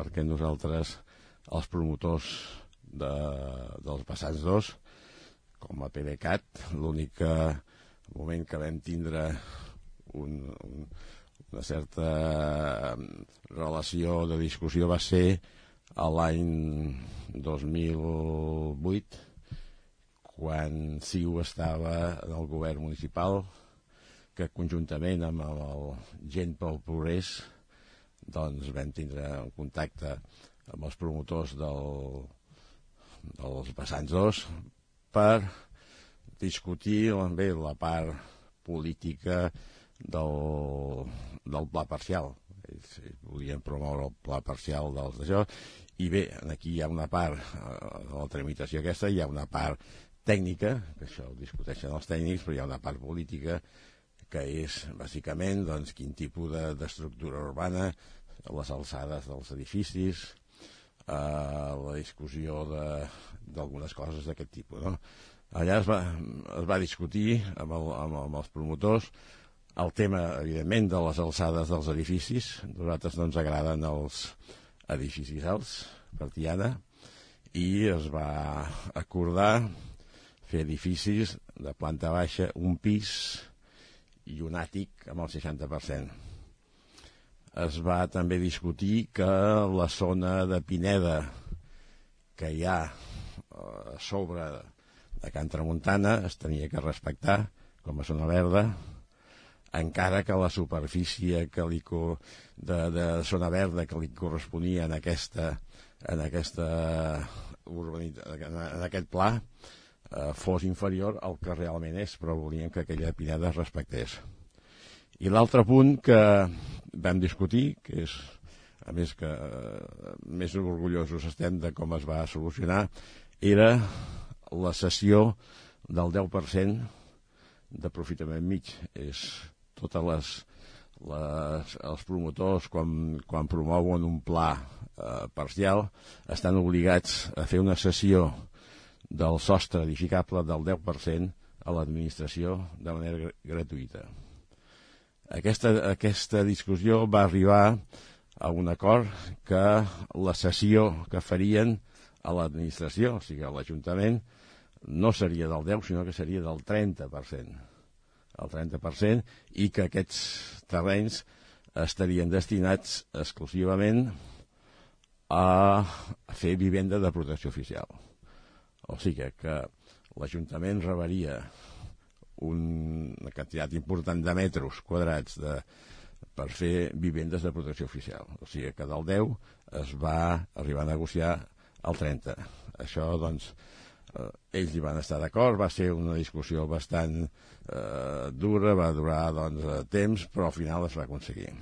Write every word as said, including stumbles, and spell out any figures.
perquè nosaltres, els promotors de, dels Vessants dos, com a PDeCAT, l'únic moment que vam tindre un, un, una certa relació de discussió va ser a l'any dos mil vuit, quan C I U estava en el govern municipal, que conjuntament amb el Gent pel Progrés doncs vam tindre un contacte amb els promotors del, dels Vessants dos per discutir bé la part política del, del pla parcial. Ells volien promoure el pla parcial dels d'això, i bé, aquí hi ha una part de la tramitació aquesta, hi ha una part tècnica, que això ho discuteixen els tècnics, però hi ha una part política que és, bàsicament, doncs, quin tipus d'estructura urbana, les alçades dels edificis, eh, la discussió d'algunes coses d'aquest tipus, no? Allà es va, es va discutir amb, el, amb, amb els promotors el tema, evidentment, de les alçades dels edificis. A nosaltres no ens agraden els edificis alts, per Tiana, i es va acordar fer edificis de planta baixa, un pis i un àtic amb el seixanta per cent. Es va també discutir que la zona de Pineda que hi ha a sobre de Can Tramuntana es tenia que respectar com a zona verda, encara que la superfície que li, de, de zona verda que li corresponia en aquesta, en aquesta en aquest pla eh, fos inferior al que realment és, però volien que aquella Pineda es respectés. I l'altre punt que vam discutir, que és, a més que eh, més orgullosos estem de com es va solucionar, era la cessió del deu per cent d'aprofitament mig. És totes les, les, els promotors, quan, quan promouen un pla eh, parcial, estan obligats a fer una cessió del sostre edificable del deu per cent a l'administració de manera gr gratuïta. Aquesta, aquesta discussió va arribar a un acord que la cessió que farien a l'administració, o sigui a l'Ajuntament, no seria del deu, sinó que seria del trenta per cent. El trenta per cent, i que aquests terrenys estarien destinats exclusivament a fer vivenda de protecció oficial. O sigui que l'Ajuntament rebaria una quantitat important de metres quadrats de, per fer vivendes de protecció oficial. O sigui que del deu es va arribar a negociar el trenta. Això, doncs, eh, ells hi van estar d'acord, va ser una discussió bastant eh, dura, va durar doncs, temps, però al final es va aconseguir.